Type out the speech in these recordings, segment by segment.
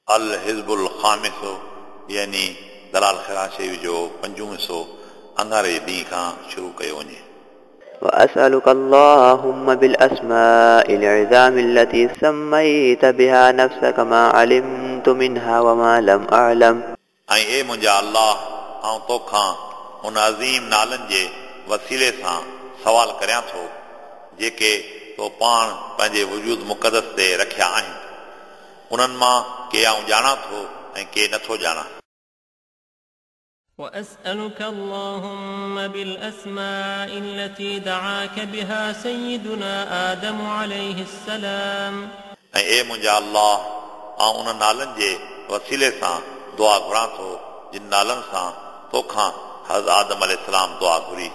الحزب الخامس يعني دلال خيرات شريف جو پنجون حصو اڱاري جي ڏينهن کان شروع ڪيو وڃي. وأسألك اللهم بالأسماء العظام التي سميت بها نفسك ما علمت منها وما لم أعلم. ۽ اي منهنجا الله، آئون توکان ان عظيم نالن جي وسيلي سان سوال ڪريان ٿو، جيڪي تو پاڻ پنهنجي وجود مقدس تي رکيا آهن. انهن مان ڪي آئون ڄاڻان ٿو ۽ ڪي نٿو ڄاڻان. وأسألك اللهم بالأسماء التي دعاك بها سيدنا آدم عليه السلام. ۽ اي منهنجا الله، آئون انهن نالن جي وسيلي سان دعا گهران ٿو، جن نالن سان توکان حضرت آدم عليه السلام دعا گهري.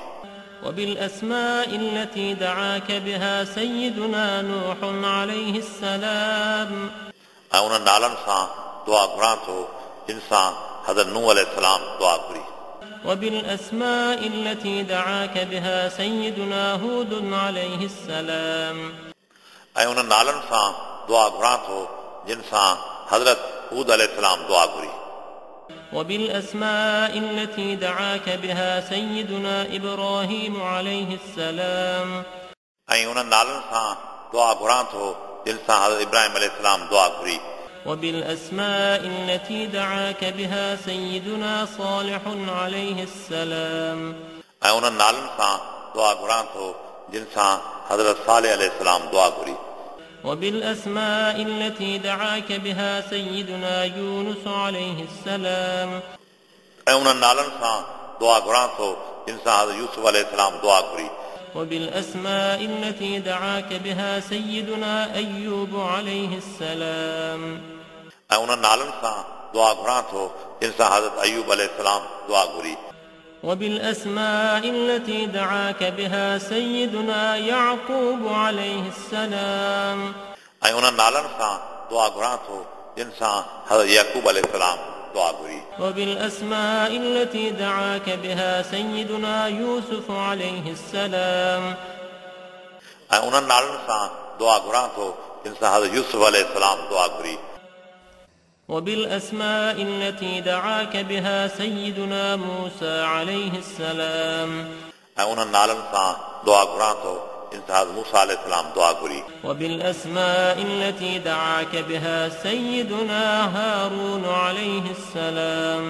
وبالأسماء التي دعاك بها سيدنا نوح عليه السلام. ۽ انهن نالن سان دعا گهران ٿو، جن سان حضرت نوح عليه السلام دعا گهري. وبالأسماء التي دعاك بها سيدنا هود عليه السلام. ۽ انهن نالن سان دعا گهران ٿو، جن سان حضرت هود عليه السلام دعا گهري. وبالأسماء التي دعاك بها سيدنا إبراهيم عليه السلام. ۽ انهن نالن سان دعا گهران ٿو، جن سان حضرت إبراهيم عليه السلام دعا گهري. وبالأسماء التي دعاك بها سيدنا صالح عليه السلام. ۽ انهن نالن سان دعا گهران ٿو، جن سان حضرت صالح عليه السلام دعا گهري. وبالأسماء التي دعاك بها سيدنا يونس عليه السلام. ۽ انهن نالن سان دعا گهران ٿو، جن سان حضرت يوسف عليه السلام دعا گهري. وبالأسماء التي دعاك بها سيدنا أيوب عليه السلام. ۽ انهن نالن سان دعا گهران ٿو، جن سان حضرت أيوب عليه السلام دعا گهري. وبالأسماء التي دعاك بها سيدنا يعقوب عليه السلام. ۽ انهن نالن سان دعا گهران ٿو، جن سان حضرت يعقوب عليه السلام دعا گهري. وبالأسماء التي دعاك بها سيدنا يوسف عليه السلام. ۽ انهن نالن سان دعا گهران ٿو، جن سان حضرت يوسف عليه السلام دعا گهري. وبالأسماء التي دعاك بها سيدنا موسى عليه السلام. ۽ انهن نالن سان دعا گهران ٿو، جن سان حضرت موسيٰ عليه السلام دعا گهري. وبالأسماء التي دعاك بها سيدنا هارون عليه السلام.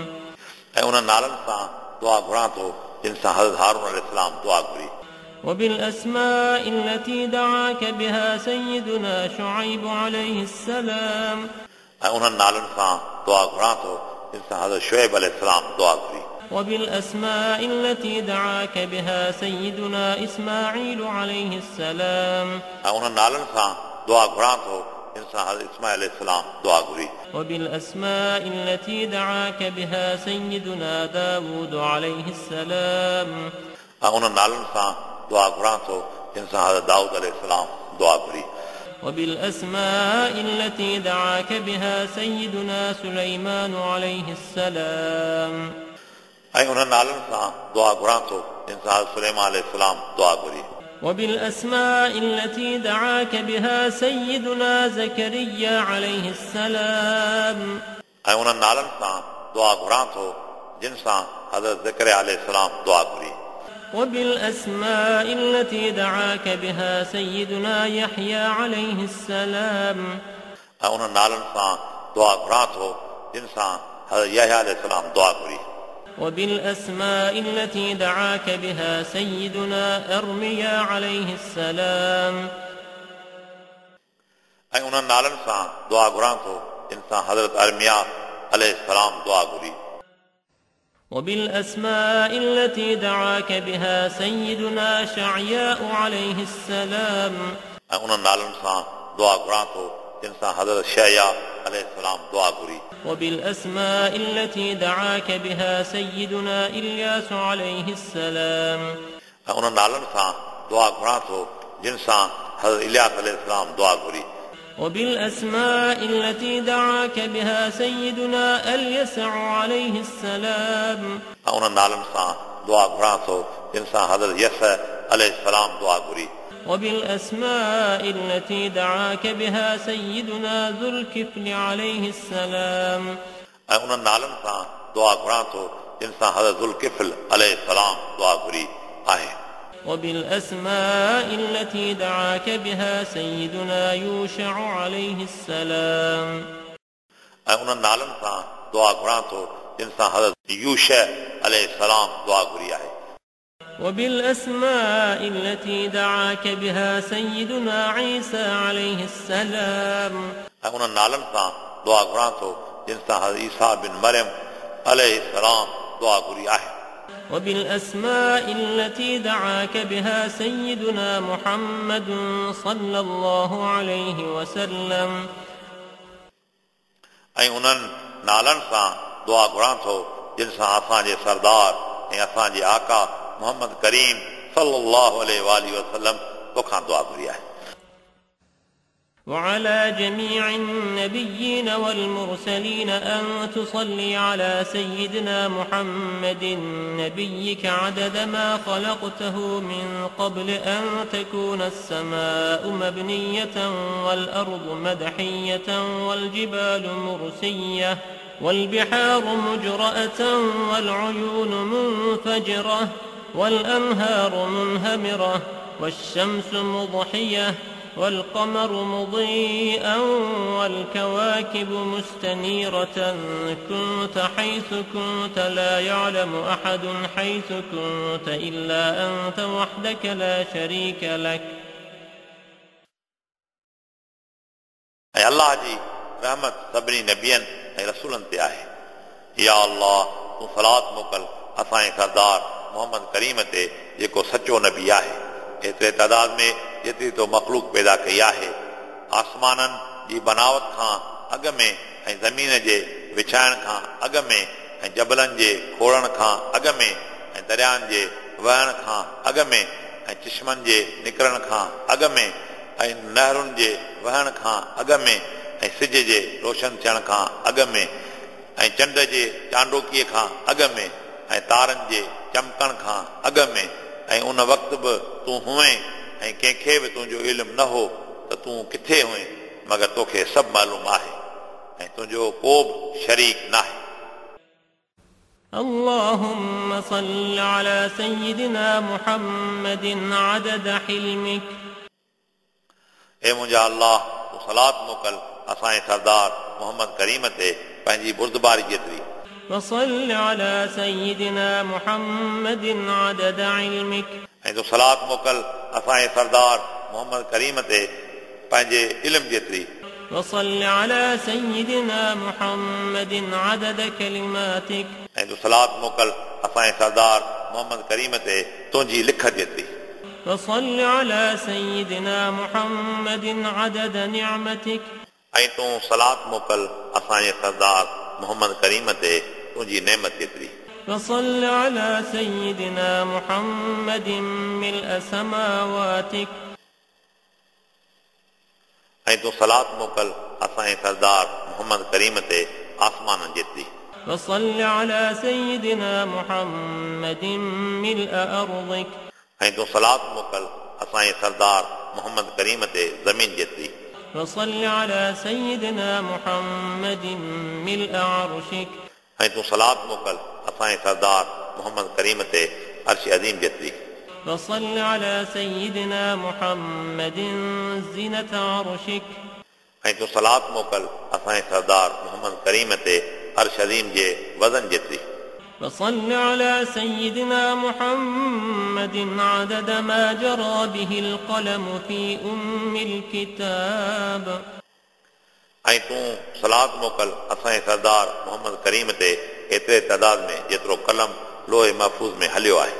۽ انهن نالن سان دعا گهران ٿو، جن سان حضرت هارون عليه السلام دعا گهري. وبالأسماء التي دعاك بها سيدنا شعيب عليه السلام. ۽ انهن نالن سان دعا گهران ٿو، جن سان حضرت شعيب عليه السلام دعا گهري. وبالأسماء التي دعاك بها سيدنا إسماعيل عليه السلام. ۽ انهن نالن سان دعا گهران ٿو، جن سان حضرت إسماعيل عليه السلام دعا گهري. وبالأسماء التي دعاك بها سيدنا داود عليه السلام. ۽ انهن نالن سان دعا گهران ٿو، جن سان حضرت دائود عليه السلام دعا گهري. وبالأسماء التي دعاك بها سيدنا سليمان عليه السلام. ۽ انهن نالن سان دعا گهران ٿو، جن سان حضرت سليمان عليه السلام دعا گهري. وبالأسماء التي دعاك بها سيدنا زكريا عليه السلام. ۽ انهن نالن سان دعا گهران ٿو، جن سان حضرت زڪريا عليه السلام دعا گهري. وبالأسماء التي دعاك بها سيدنا يحيى عليه السلام. ۽ انهن نالن سان دعا گهران ٿو، جن سان حضرت يحيى عليه السلام دعا گهري. وبالأسماء التي دعاك بها سيدنا أرميا عليه السلام. ۽ انهن نالن سان دعا گهران ٿو، جن سان حضرت أرميا عليه السلام دعا گهري. وبالأسماء التي دعاك بها سيدنا شعياء عليه السلام. ۽ انهن نالن سان دعا گهران ٿو، جن سان حضرت شعيا عليه السلام دعا گهري. وبالأسماء التي دعاك بها سيدنا إلياس عليه السلام. ۽ انهن نالن سان دعا گهران ٿو، جن سان حضرت إلياس عليه السلام دعا گهري. وبالأسماء التي دعاك بها سيدنا اليسع عليه السلام. ۽ انهن نالن سان دعا گهران ٿو، جن سان حضرت يسع عليه السلام دعا گهري. وبالأسماء التي دعاك بها سيدنا ذو الكفل عليه السلام. ऐं उन्हनि नालनि सां दुआ घुरां थो जिन सां हज़रत ज़ुल्किफ़्ल अलैहि सलाम दुआ घुरी आहे। وبالأسماء التي دعاك بها سيدنا يوشع عليه السلام. ऐं उन्हनि नालनि सां दुआ घुरां थो जिन सां हज़रत यूशा अलैहि सलाम दुआ घुरी आहे। وبالأسماء التي دعاك بها سيدنا عيسى عليه السلام. ऐं उन्हनि नालनि सां दुआ घुरां थो जिन सां हज़रत ईसा बिन मरियम अलैहि सलाम दुआ घुरी आहे। وبالأسماء التي دعاك بها سيدنا محمد صلى الله عليه وسلم. ऐं उन्हनि नालनि सां दुआ घुरां थो जिन सां असांजे सरदार ऐं असांजे आका मोहम्मद करीम सल्लल्लाहु अलैहि वसल्लम तोखां दुआ घुरी आहे। وعلى جميع النبيين والمرسلين أن تصلي على سيدنا محمد نبيك عدد ما خلقته من قبل أن تكون السماء مبنية والأرض مدحية والجبال مرسية والبحار مجرأة والعيون منفجرة والأنهار منهمرة والشمس مضحية والقمر مضيئا والكواكب مستنيرة كنت حيث كنت لا يعلم أحد حيث كنت إلا أنت وحدك لا شريك لك. ऐं अल्लाह जी रहमत सभिनी नबियनि ऐं रसूलनि ते आहे। या अल्लाह तूं सलात मोकल असांजे सरदार मोहम्मद करीम ते जेको सचो नबी आहे, एतिरे तादाद में जेतिरी तो मख़लूक पैदा कई आहे। आसमाननि जी बनावत खां अॻु में ऐं ज़मीन जे विछाइण खां अॻु में ऐं जबलनि जे खोड़ण खां अॻु में ऐं दरियानि जे वहण खां अॻु में ऐं चश्मनि जे निकिरण खां अॻु में ऐं नहरुनि जे वहण खां अॻु में ऐं सिज जे रोशन थियण खां अॻु में ऐं चंड जे चांडोकीअ खां अॻु में ऐं तारनि जे चमकण खां अॻु में ऐं उन वक़्तु बि तूं हुएं ऐं कंहिंखे बि तुंहिंजो इल्मु न हो त तूं किथे हुएं, मगर तोखे सभु मालूम आहे ऐं तुंहिंजो को बि शरीक न आहे। اللهم صل على سيدنا محمد عدد حلمك. ऐ मुंहिंजा अल्लाह तूं सलात मोकल असांजे सरदार मोहम्मद करीम ते पंहिंजी बुर्दबारी जेतिरी। وصل على سيدنا محمد عدد علمك. ऐं तूं सलात मोकल असांजे सरदार मोहम्मद करीम ते पंहिंजे इल्म जेतिरी। وصل على سيدنا محمد عدد كلماتك. ऐं तूं सलात मोकल असांजे सरदार मोहम्मद करीम ते तुंहिंजी लिखत जेतिरी। وصل على سيدنا محمد عدد نعمتك. ऐं तूं सलात मोकल असांजे सरदार मोहम्मद करीम ते तुंहिंजी नेमत जेतिरी। وصل على سيدنا محمد ملء سماواتك. ऐं तूं सलात मोकल असांजे सरदार मोहम्मद करीम ते आसमाननि जेतिरी। وصل على سيدنا محمد ملء أرضك. ऐं तूं सलात मोकल असांजे सरदार मोहम्मद करीम ते ज़मीन जेतिरी। وصل على سيدنا محمد ملء عرشك. ऐं तूं सलात मोकल असांजे सरदार मोहम्मद करीम ते अर्श अज़ीम जेतिरी। وصل على سيدنا محمد زنة عرشك. ऐं तूं सलात मोकल असांजे सरदार मोहम्मद करीम ते अर्श अज़ीम जे वज़न जेतिरी। وصل على سيدنا محمد عدد ما جرى به القلم في أم الكتاب. ऐं तूं सलात मोकल असांजे सरदार मोहम्मद करीम ते एतिरे तादाद में जेतिरो कलम लोहे महफ़ूज़ में हलियो आहे।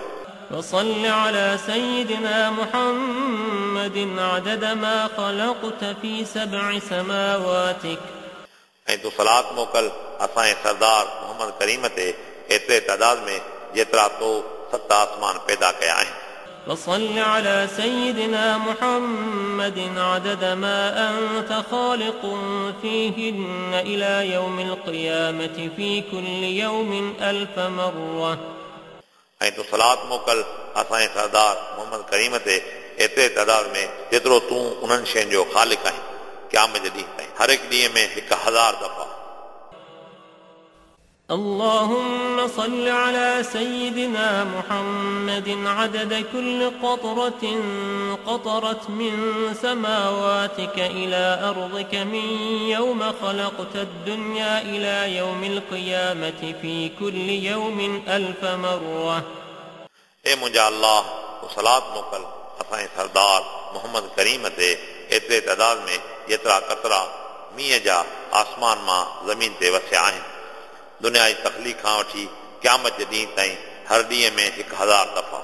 وصل على سيدنا محمد عدد ما خلقت في 7 سماواتك. ऐं तूं सलात मोकल असांजे सरदार मोहम्मद करीम ते एतिरे तादाद में जेतिरा तो 7 आसमान पैदा कया आहिनि। وصل على سيدنا محمد عدد ما أنت خالق فيهن إلى يوم القيامة في كل يوم 1000 مرة. ऐं तूं सलात मोकल असांजे सरदार मोहम्मद करीम ते एतिरे तादाद में जेतिरो तूं उन्हनि शयुनि जो ख़ालिक आहीं क़यामत जे ॾींहुं ताईं हर हिकु ॾींहं में 1000 दफ़ा। اللهم صل على سيدنا محمد عدد كل قطرة قطرت من سماواتك إلى أرضك من يوم خلقت الدنيا إلى يوم القيامة في كل يوم 1000 مرة. ए मुंहिंजा अल्लाह, तूं सलात मोकिल असांजे सरदार मोहम्मद करीम ते एतिरे तादाद में जेतिरा कतरा मींहं जा आसमान मां ज़मीन ते वसिया आहिनि। दुनिया जी तख़लीक़ खां वठी क़यामत जे ॾींहुं ताईं हर ॾींहं में 1000 दफ़ा।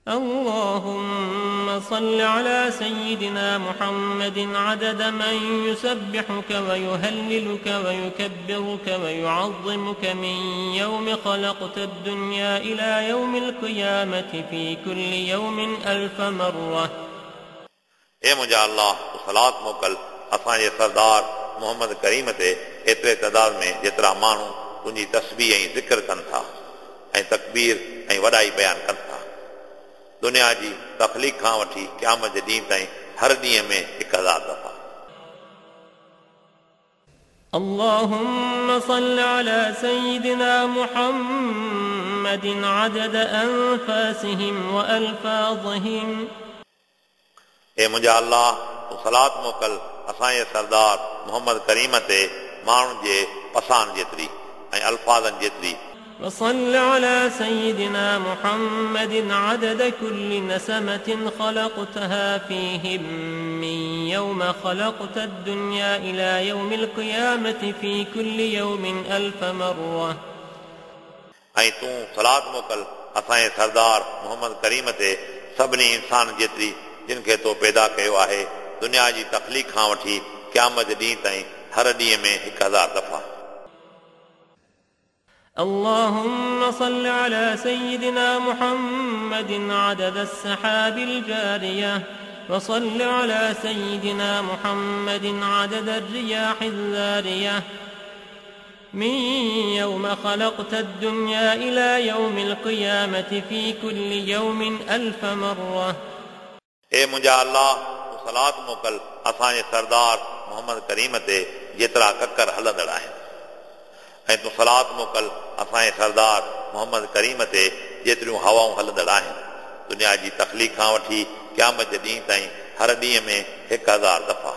اللهم صل على سيدنا محمد عدد من يسبحك ويهللك ويكبرك ويعظمك من يوم خلقت الدنيا إلى يوم القيامة في كل يوم 1000 مرة. ए मुंहिंजा अल्लाह, तूं सलात मोकिल असांजे सरदार मोहम्मद करीम ते एतिरे तादाद में जेतिरा माण्हू तुंहिंजी तस्बीह ऐं ज़िक्र कनि था ऐं तकबीर ऐं वॾाई बयानु कनि था। दुनिया जी तख़लीक़ खां वठी क़यामत जे ॾींहुं ताईं हर ॾींहं में 1000 दफ़ा। اللهم صل على سيدنا محمد عدد أنفاسهم وألفاظهم. ए मुंहिंजा अल्लाह, तूं सलात मोकिल असांजे सरदार मोहम्मद करीम ते माण्हुनि जे पसान जेतिरी ऐं अल्फ़ाज़नि जेतिरी। وصل على سيدنا محمد عدد كل نسمة خلقتها فيهم من يوم خلقت الدنيا إلى يوم القيامة في كل يوم 1000 مرة. ऐं तूं सलात मोकिल असांजे सरदार मोहम्मद करीम ते सभिनी इंसान जेतिरी जिन खे तो पैदा कयो आहे दुनिया जी तख़लीक़ खां वठी क़यामत जे ॾींहुं ताईं हर ॾींहं में 1000 दफ़ा। اللهم صل على سيدنا محمد عدد السحاب الجارية، وصل على سيدنا محمد عدد الرياح الذارية من يوم خلقت الدنيا إلى يوم القيامة في كل يوم 1000 مرة. ए मुंहिंजा अल्लाह, तूं सलात मोकिल असांजे सरदार मोहम्मद करीम ते जेतिरा ककर हलंदड़ आहिनि ऐं तूं सलात मोकिल असांजे सरदार मोहम्मद करीम ते जेतिरियूं हवाऊं हलंदड़ आहिनि। दुनिया जी तख़लीक़ खां वठी क़यामत जे ॾींहुं ताईं हर ॾींहं में 1000 दफ़ा।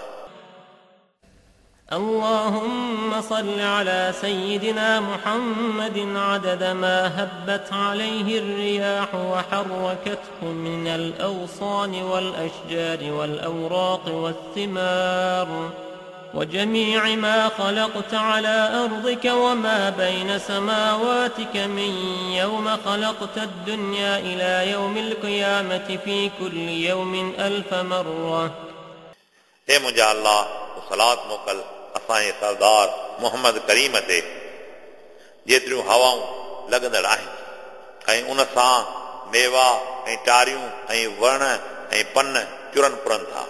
اللهم صل على سيدنا محمد عدد ما هبت عليه الرياح وحركته من الأغصان والأشجار والأوراق والثمار وجميع ما خلقت على أرضك وما بين سماواتك من يوم خلقت الدنيا إلى يوم القيامة في كل يوم 1000 مرة. ए मुंहिंजा अल्लाह, तूं सलात मोकिल असांजे सरदार मोहम्मद करीम ते जेतिरियूं हवाऊं लॻंदड़ आहिनि ऐं उन सां मेवा ऐं टारियूं ऐं वण ऐं पन चुरनि पुरनि था।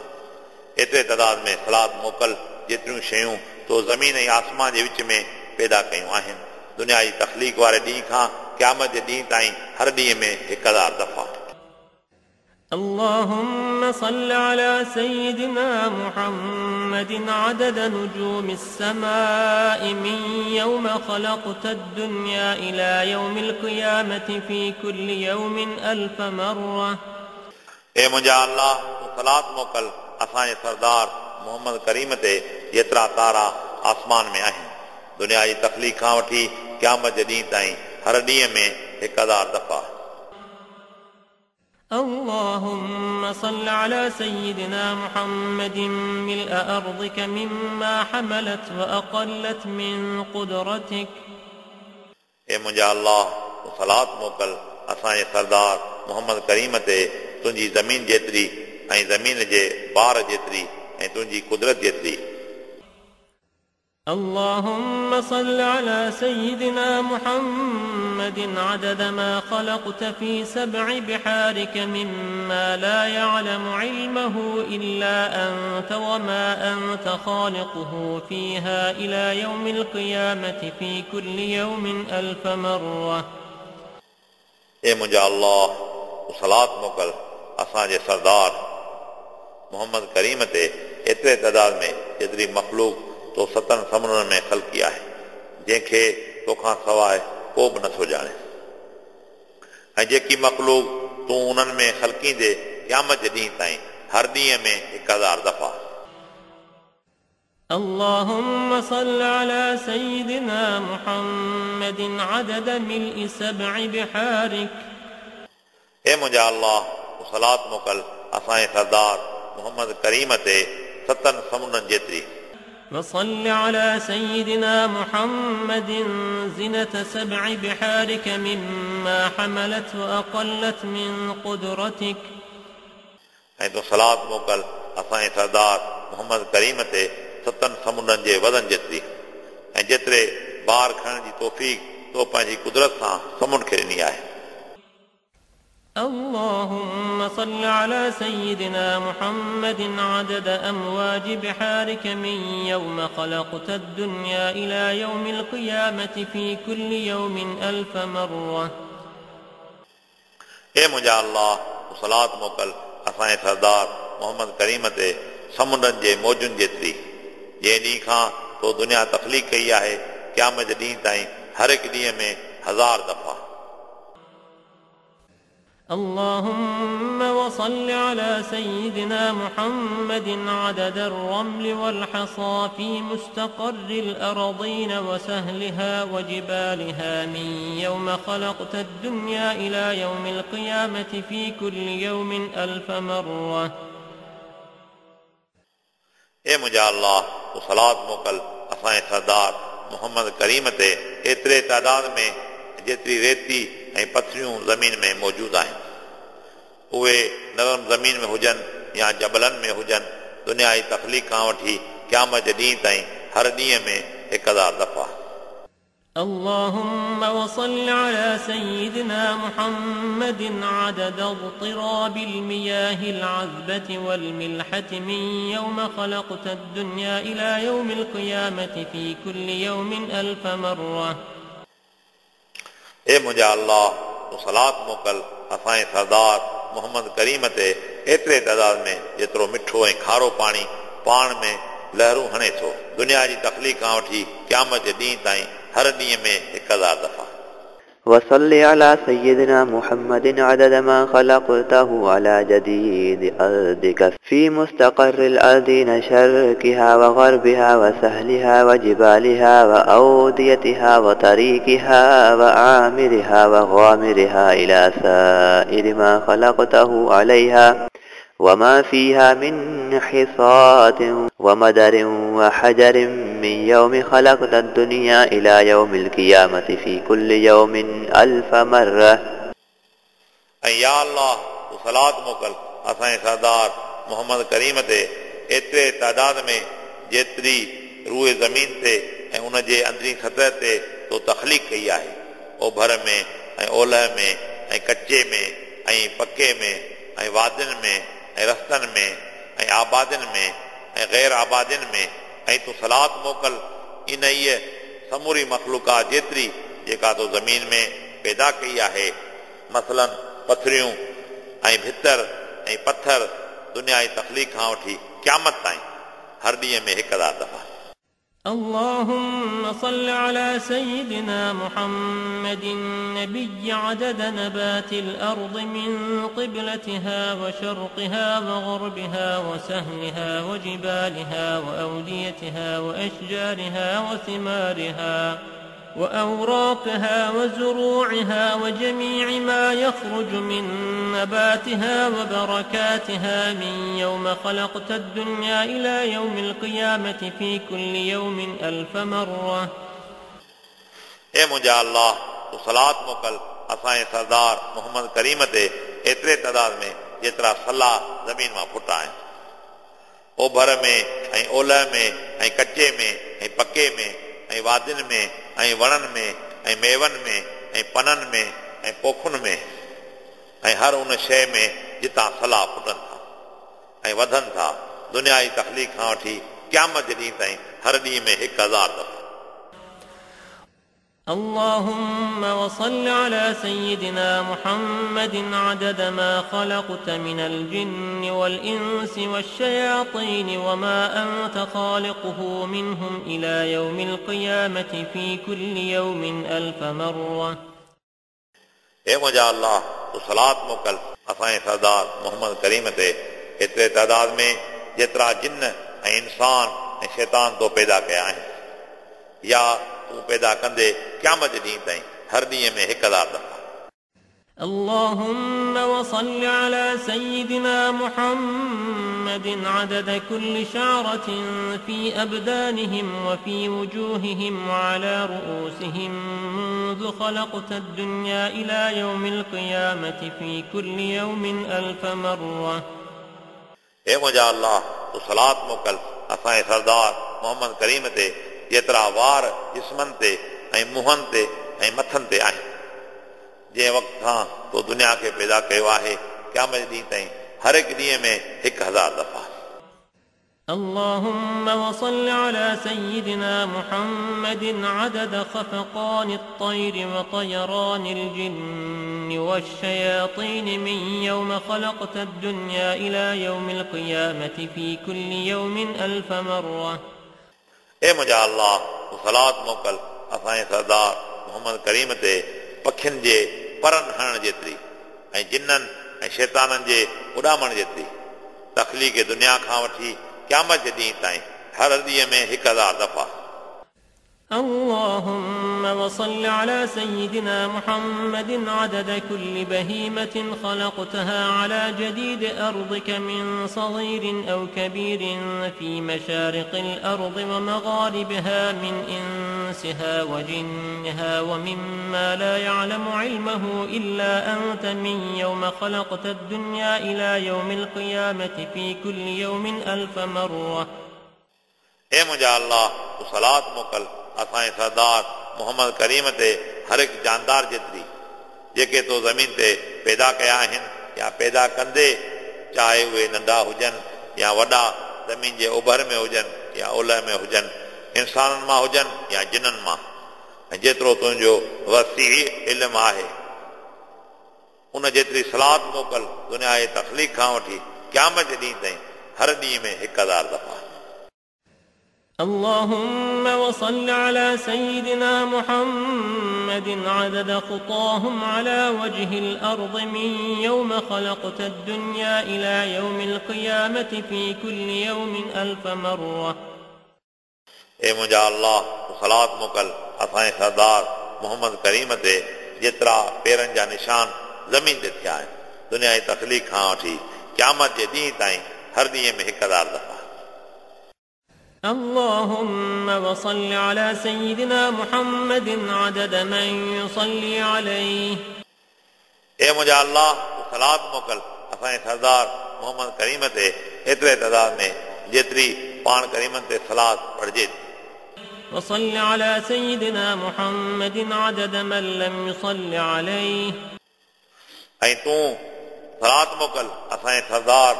एतिरे तादाद में सलात मोकिल जेतिरियूं शयूं तो ज़मीन ऐं आसमान जे विच में पैदा कयूं आहिनि। दुनिया जी तख़लीक़ वारे ॾींहुं खां क़यामत जे ॾींहुं ताईं हर ॾींहं में 1000 दफ़ा। اللهم صل على سيدنا محمد عدد نجوم السماء من يوم خلقت الدنيا إلى يوم القيامة في كل يوم 1000 مرة. ए मुंहिंजा अल्लाह, तूं सलात मोकिल असांजे सरदार मोहम्मद करीम ते जेतिरा तारा आसमान में आहिनि दुनिया जी तख़लीक़ खां वठी क़यामत जे ॾींहुं ताईं हर ॾींहं में 1000 दफ़ा। اللهم صل على سيدنا محمد ملء أرضك مما حملت وأقلت من قدرتك. ए मुंहिंजा अल्लाह, तूं सलात मोकिल असांजे सरदार मोहम्मद करीम ते तुंहिंजी ज़मीन जेतिरी ऐं ज़मीन जे बार जेतिरी ऐं तुंहिंजी कुदरत जेतिरी। اللهم صل على سيدنا محمد عدد ما خلقت في 7 بحارك مما لا يعلم علمه إلا أنت وما أنت خالقه فيها إلى يوم القيامة في كل يوم 1000 مرة. ए मुंहिंजा अल्लाह, तूं सलात मोकिल असांजे सरदार मोहम्मद करीम ते एतिरे तादाद में जेतिरी मख़लूक तो सतनि समुंडनि में ख़लकी आहे, जंहिंखे तोखां सवाइ को बि नथो ॼाणे। ऐं जेकी मख़लूक तूं उन्हनि में ख़लकींदे क़यामत जे ॾींहं ताईं हर ॾींहं में 1000 दफ़ा। اللهم صل على سيدنا محمد عدد ملء 7 بحارك. ए मुंहिंजा अल्लाह, तूं सलात मोकिल असांजे सरदार मोहम्मद करीम ते 7 समुंडनि जेतिरी। وصل على سيدنا محمد زنة 7 بحارك مما حملت وأقلت من قدرتك. ऐं तूं सलात मोकिल असांजे सरदार मोहम्मद करीम ते 7 समुंडनि जे वज़न जेतिरी ऐं जेतिरे बार खणण जी तौफ़ीक़ तो पंहिंजी कुदरत सां समुंड खे ॾिनी आहे। اللهم صل على سيدنا محمد عدد أمواج بحارك من يوم خلقت الدنيا إلى يوم القيامة في كل يوم 1000 مرة. ए मुंहिंजा अल्लाह, तूं सलात मोकिल असांजे सरदार मोहम्मद करीम ते समुंडनि जे मौजुनि जेतिरी, जंहिं ॾींहं खां तो दुनिया तख़लीक़ कई आहे क़यामत जे ॾींहं ताईं हर हिकु ॾींहं में 1000 दफ़ा। اللهم وصل على سيدنا محمد عدد الرمل والحصى في مستقر الأرضين وسهلها وجبالها من يوم خلقت الدنيا إلى يوم القيامة في كل يوم 1000 مرة. ए मुंहिंजा अल्लाह, तूं सलात मोकिल असांजे सरदार मोहम्मद करीम ते एतिरे तादाद में जेतिरी रेती ऐं पथरियूं ज़मीन में मौजूदु आहिनि, उहे नरम ज़मीन में हुजनि या जबलनि में हुजनि, दुनिया जी तख़लीक़ खां वठी क़यामत जे ॾींहं ताईं हर ॾींहं में 1000 दफ़ा। اللهم وصل على سيدنا محمد عدد اضطراب المياه العذبة والملحة من يوم خلقت الدنيا إلى يوم القيامة في كل يوم 1000 مرة. ए मुंहिंजा अल्लाह, तूं सलात मोकिल असांजे सरदार मोहम्मद करीम ते एतिरे तादाद में जेतिरो मिठो ऐं खारो पाणी पाण में लहरूं हणे थो, दुनिया जी तख़लीक़ खां वठी क़यामत जे ॾींहं ताईं हर ॾींहं में 1000 दफ़ा। وصل على سيدنا محمد عدد ما خلقته على جديد أرضك في مستقر الأرضين شرقها وغربها وسهلها وجبالها وأوديتها وطريقها وعامرها وغامرها إلى سائر ما خلقته عليها وما فيها من حصات ومدر وحجر من يوم خلقت الدنيا إلى يوم القيامة في كل يوم 1000 مرة. ऐं या अल्लाह, तूं सलात मोकिल असांजे सरदार मोहम्मद करीम ते एतिरे तादाद में जेतिरी रूए ज़मीन ते ऐं उन जे अंदरी सतह ते तो तख़लीक़ कई आहे, ओभर में ऐं ओलह में ऐं कच्चे में ऐं पके में ऐं वादियुनि में ऐं रस्तनि में ऐं आबादियुनि में ऐं ग़ैर आबादियुनि में, ऐं तूं सलात मोकिल इन ई समूरी मख़लूक़ात जेतिरी जेका तो ज़मीन में पैदा कई आहे, मसलन पथरियूं ऐं भितर ऐं पथर, दुनिया जी तख़लीक़ खां वठी क़यामत ताईं हर ॾींहं में 1000 दफ़ा। اللهم صل على سيدنا محمد النبي عدد نبات الأرض من قبلتها وشرقها وغربها وسهلها وجبالها وأوديتها وأشجارها وثمارها وأوراقها وزروعها وجميع ما يخرج من نباتها وبركاتها من يوم خلقت الدنيا إلى يوم القيامة في كل يوم 1000 مرة. ए मुंहिंजा अल्लाह, तूं सलात मोकिल असांजे सरदार मोहम्मद करीम ते एतिरे तादाद में जेतिरा सला ज़मीन मां फुटा आहिनि, ओभर में ऐं ओलह में ऐं कच्चे में ऐं पके में ऐं वादियुनि में ऐं वणनि में ऐं मेवनि में ऐं पननि में ऐं पोखुनि में ऐं हर उन शइ में जितां सला फुटनि था ऐं वधनि था, दुनिया जी तख़लीक़ खां वठी क़यामत जे ॾींहं ताईं हर ॾींहं में 1000 दफ़ा। اللهم وصل على سيدنا محمد عدد ما خلقت من الجن والإنس والشياطين وما أنت خالقه منهم إلى يوم القيامة في كل يوم 1000 مرة. ए मुंहिंजा अल्लाह, तूं सलात मोकिल असांजे सरदार मोहम्मद करीम ते एतिरे तादाद में जेतिरा जिन ऐं इंसान ऐं शैतान तो पैदा कया आहिनि, या तूं पैदा कंदे क़यामत जे ॾींहुं ताईं हर ॾींहं में 1000 दफ़ा। اللهم وصل على سيدنا محمد عدد كل شعرة في أبدانهم وفي وجوههم وعلى رؤوسهم منذ خلقت الدنيا إلى يوم القيامة في كل يوم 1000 مرة. ए मुंहिंजा अल्लाह, तूं सलात मोकिल असांजे सरदार मोहम्मद करीम ते जेतिरा वार जिस्मनि ते ऐं मुंहनि ते ऐं मथनि ते आहिनि, जंहिं वक़्त खां तो दुनिया खे पैदा कयो आहे क़यामत ॾींहुं ताईं हर हिकु ॾींहं में 1000 दफ़ा। اللهم وصل على سيدنا محمد عدد خفقان الطير وطيران الجن والشياطين من يوم خلقت الدنيا إلى يوم القيامة في كل يوم 1000 مرة. ए मुंहिंजा अल्लाह, तूं सलात मोकिल असांजे सरदार मोहम्मद करीम ते पखियुनि जे परनि हणण जेतिरी ऐं जिन्ननि ऐं शैताननि जे उॾामण जेतिरी तख़लीक़ दुनिया खां वठी क़यामत जे ॾींहुं ताईं हर ॾींहं में 1000 दफ़ा। اللهم وصل على سيدنا محمد عدد كل بهيمة خلقتها على جديد أرضك من صغير أو كبير في مشارق الأرض ومغاربها من إنسها وجنها ومما لا يعلم علمه إلا أنت من يوم خلقت الدنيا إلى يوم القيامة في كل يوم 1000 مرة. ए मुंहिंजा अल्लाह, तूं सलात मोकिल असांजे सरदार मोहम्मद करीम ते हर हिकु जानदार जेतिरी जेके तो ज़मीन ते पैदा कया आहिनि या पैदा कंदे, चाहे उहे नंढा हुजनि या वॾा, ज़मीन जे उभर में हुजनि या ओलह में हुजनि, इंसाननि मां हुजनि या जिननि मां, ऐं जेतिरो तुंहिंजो वसी इल्मु आहे उन जेतिरी सलात मोकिल दुनिया जे तख़लीक़ खां वठी क़यामत जे ॾींहुं ताईं हर ॾींहं में 1000 दफ़ा। اللهم وصل على سيدنا محمد عدد خطاهم على وجه الأرض من يوم خلقت الدنيا إلى يوم القيامة في كل يوم 1000 مرة. ए मुंहिंजा अल्लाह, तूं सलात मोकिल असांजे सरदार मोहम्मद करीम ते जेतिरा पेरनि जा निशान ज़मीन ते थिया आहिनि, दुनिया जी तख़लीक़ खां वठी क़यामत जे ॾींहुं ताईं हर ॾींहं में 1000 दफ़ा। اللهم وصل على سيدنا محمد عدد من يصلي عليه. ए मुंहिंजा अल्लाह, तूं सलात मोकिल असांजे सरदार मोहम्मद करीम ते एतिरे तादाद में जेतिरी पाण करीमनि ते सलात पढ़िजे थी। وصل على سيدنا محمد عدد من لم يصل عليه. ऐं तूं सलात मोकिल असांजे सरदार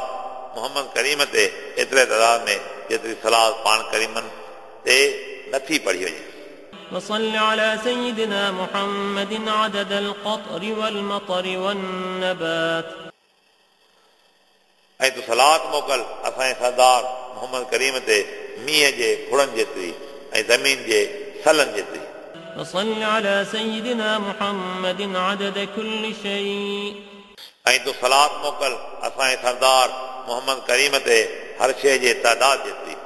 मोहम्मद करीम ते एतिरे तादाद में जेतिरी सलात पाण करीमनि ते नथी पढ़ी वञे। وصل على سيدنا محمد عدد القطر والمطر والنبات. ऐं तूं सलात मोकिल असांजे सरदार मोहम्मद करीम ते मींहं जे फुड़नि जेतिरी ऐं ज़मीन जे सलनि जेतिरी। وصل على سيدنا محمد عدد كل شيء. ऐं तूं सलात मोकिल असांजे सरदार मोहम्मद करीम ते हर शइ जे तादाद जेतिरी।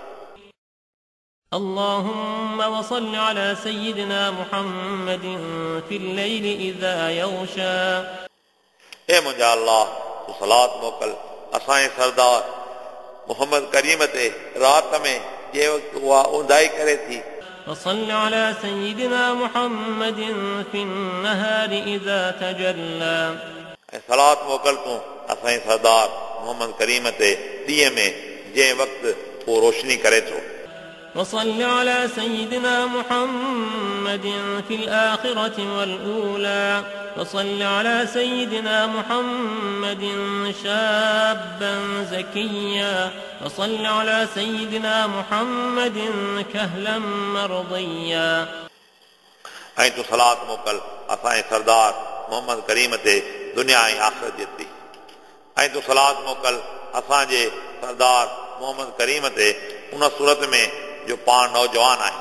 اللهم وصل على سيدنا محمد في الليل إذا يغشى. ए मुंहिंजा अल्लाह, तूं सलात मोकिल असांजे सरदार मोहम्मद करीम ते राति में जंहिं वक़्तु उहा ऊंदाई करे थी। وصل على سيدنا محمد في النهار إذا تجلى. ऐं सलात मोकिल तूं असांजे सरदार मोहम्मद करीम ते ॾींहं में जंहिं वक़्तु उहो रोशनी करे थो। وصل على سيدنا محمد في الآخرة والأولى. وصل على سيدنا محمد شابا زكيا. وصل على سيدنا محمد كهلا مرضيا. ऐं तूं सलात मोकिल असांजे सरदार मोहम्मद करीम ते दुनिया ऐं आख़िरत जेतिरी। ऐं तूं सलात मोकिल असांजे सरदार मोहम्मद करीम ते उन सूरत में जो पाण नौजवान आहे।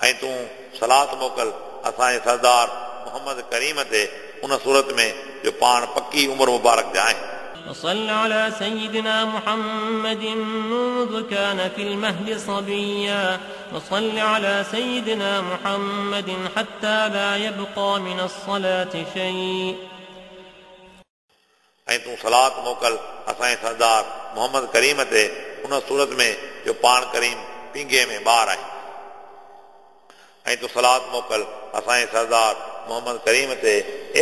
ऐं तूं सलात मोकिल असांजे सरदार मोहम्मद करीम ते उन सूरत में जो पाण पकी उम्र मुबारक जा आहिनि। وصل على سيدنا محمد منذ كان في المهد صبيا، وصل على سيدنا محمد حتى لا يبقى من الصلاة شيء. ऐं तूं सलात मोकिल असांजे सरदार मोहम्मद करीम ते उन सूरत में जो पाण करीम पींघे में ॿार आहे। ऐं तूं सलात मोकिल असांजे सरदार मोहम्मद करीम ते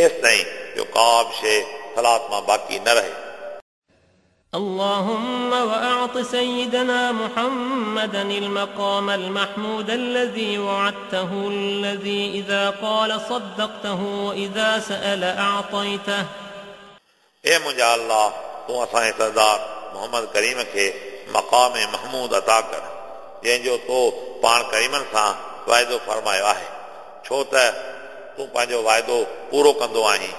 एसि ताईं जो का बि शइ सलात मां बाक़ी न रहे। اللهم وأعط سيدنا محمدا المقام المحمود الذي وعدته، الذي إذا قال صدقته وإذا سأل أعطيته. ए मुंहिंजा अल्लाह, तूं असांजे सरदार मोहम्मद करीम खे मक़ाम महमूद अता कर, जंहिंजो तो पाण करीमनि सां वाइदो फरमायो आहे, छो त तूं पंहिंजो वाइदो पूरो कंदो आहीं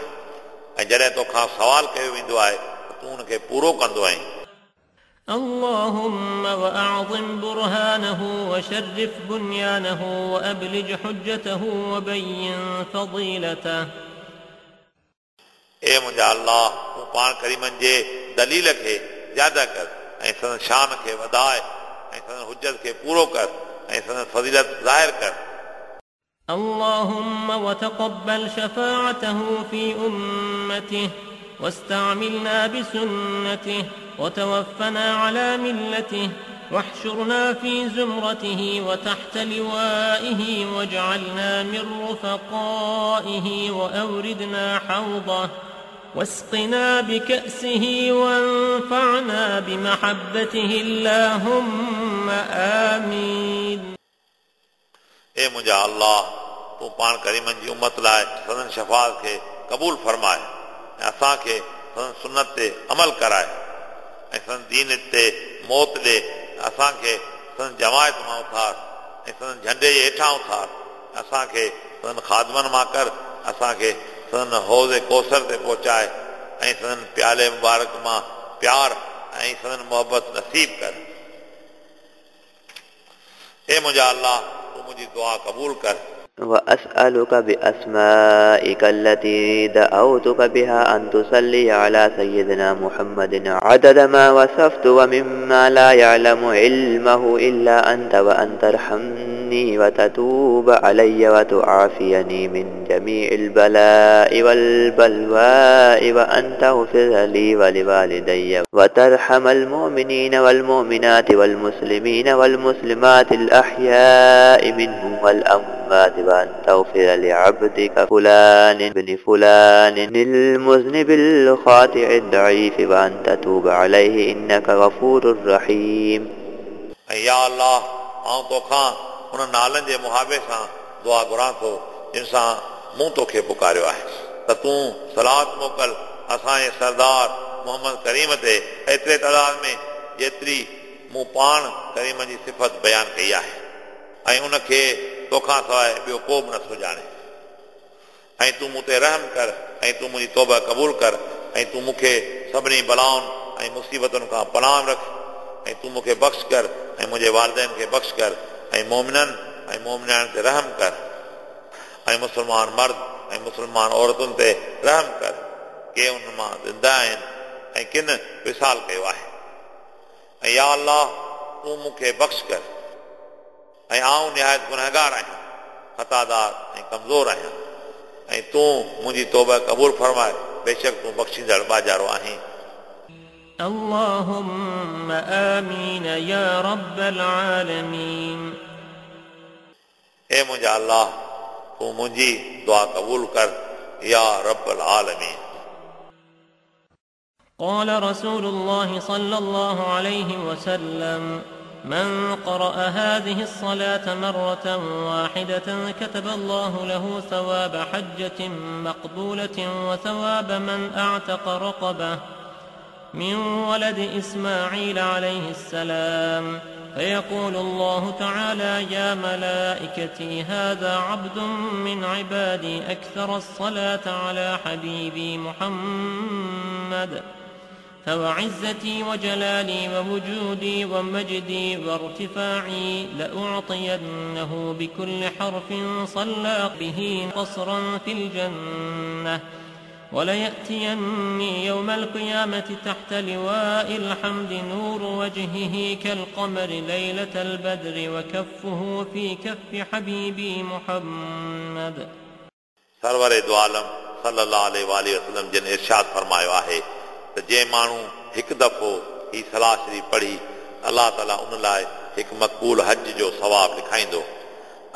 ऐं जॾहिं तोखां सवाल कयो वेंदो आहे तूं उनखे पूरो कंदो आहीं। اللهم وأعظم برهانه وشرف بنيانه وأبلج حجته وبين فضيلته. ए मुंहिंजा अल्लाह, तूं पाण करीमनि जे दलील खे ज़्यादा कर ऐं संदन शान खे वधाए ऐं संदन हुजत खे पूरो कर ऐं संदन फज़ीलत ज़ाहिर कर। اللهم وتقبل شفاعته في أمته واستعملنا بسنته وتوفنا على ملته واحشرنا في زمرته وتحت لوائه واجعلنا من رفقائه وأوردنا حوضه واسقنا بكأسه وانفعنا بمحبته اللهم آمين. ए मुंहिंजा अल्लाह, तूं पाण करीमनि जी उम्मत लाइ सदन शफ़ाअत खे क़बूल फरमाए ऐं असांखे सदन सुन्नत ते अमल कराए ऐं सदन दीन ते मौत ॾे, असांखे सदन जमायत मां उथार ऐं सदन झंडे जे हेठां उथार, असांखे सदन ख़ादमनि मां कर, असांखे सदन हौज़ कौसर ते पहुचाए ऐं सदन प्याले मुबारक मां प्यार ऐं सदन मोहबत नसीब कर। ए मुंहिंजा अल्लाह, तूं मुंहिंजी दुआ क़बूल कर। وأسألك بأسمائك التي دعوتك بها أن تصلي على سيدنا محمد عدد ما وصفت ومما لا يعلم علمه إلا أنت، وأن ترحمني وتتوب علي وتعافيني من جميع البلاء والبلواء، وأن تغفر لي ولوالدي وترحم المؤمنين والمؤمنات والمسلمين والمسلمات الأحياء منهم والأموات، وأن تغفر لعبدك فلان بن فلان المذنب الخاطئ الضعيف، وأن تتوب عليه إنك غفور رحيم. या अल्लाह, आउं तोखां उन नालनि जे मुहाबे सां दुआ घुरां थो जिन सां मूं तोखे पुकारियो आहे, त तूं सलात मोकिल असांजे सरदार मोहम्मद करीम ते एतिरे तादाद में जेतिरी मूं पाण करीम जी सिफ़त बयानु कई आहे ऐं उनखे तोखां सवाइ ॿियो को बि नथो ॼाणे। ऐं तूं मूं ते रहम कर ऐं तूं मुंहिंजी तौबा क़बूल कर ऐं तूं मूंखे सभिनी बलाउनि ऐं मुसीबतुनि खां पनाह रख ऐं तूं मूंखे बख़्श कर ऐं मुंहिंजे वालिदैन खे बख़्श कर ऐं मोमिननि ऐं मोमिनानि ते रहम कर ऐं मुस्लमान मर्द ऐं मुस्लमान औरतुनि ते रहम कर, के उन मां ज़िंदा आहिनि ऐं किन विसाल कयो आहे। ऐं या अल्लाह, तूं मूंखे बख़्श कर ऐं आउं निहायत गुनहगार आहियां, ख़तादार ऐं कमज़ोर आहियां, ऐं तूं मुंहिंजी तौबा क़बूल फरमाए, बेशक तूं बख़्शींदड़ बाजारो आहीं। اللهم آمين يا رب العالمين. ए मुंहिंजा अल्लाह, तूं मुंहिंजी दुआ क़बूल कर या रब العالمين. قال رسول الله صلى الله عليه وسلم: من قرأ هذه الصلاة مرة واحدة كتب الله له ثواب حجة مقبولة وثواب من أعتق رقبة من ولد إسماعيل عليه السلام، فيقول الله تعالى: يا ملائكتي، هذا عبد من عبادي أكثر الصلاة على حبيبي محمد، فوعزتي وجلالي ووجودي ومجدي وارتفاعي لأعطينه بكل حرف صلى به قصرا في الجنة، وليأتيني يوم القيامة تحت لواء الحمد نور وجهه كالقمر ليلة البدر، وكفه في كف حبيبي محمد. सरवर दो आलम सल्लल्लाहु अलैहि वसल्लम जिन इरशाद फरमायो आहे त जंहिं माण्हू हिकु दफ़ो ही सलाह शरीफ़ पढ़ी, अलाह ताला उन लाइ हिकु मक़बूल हज जो सवाबु लिखाईंदो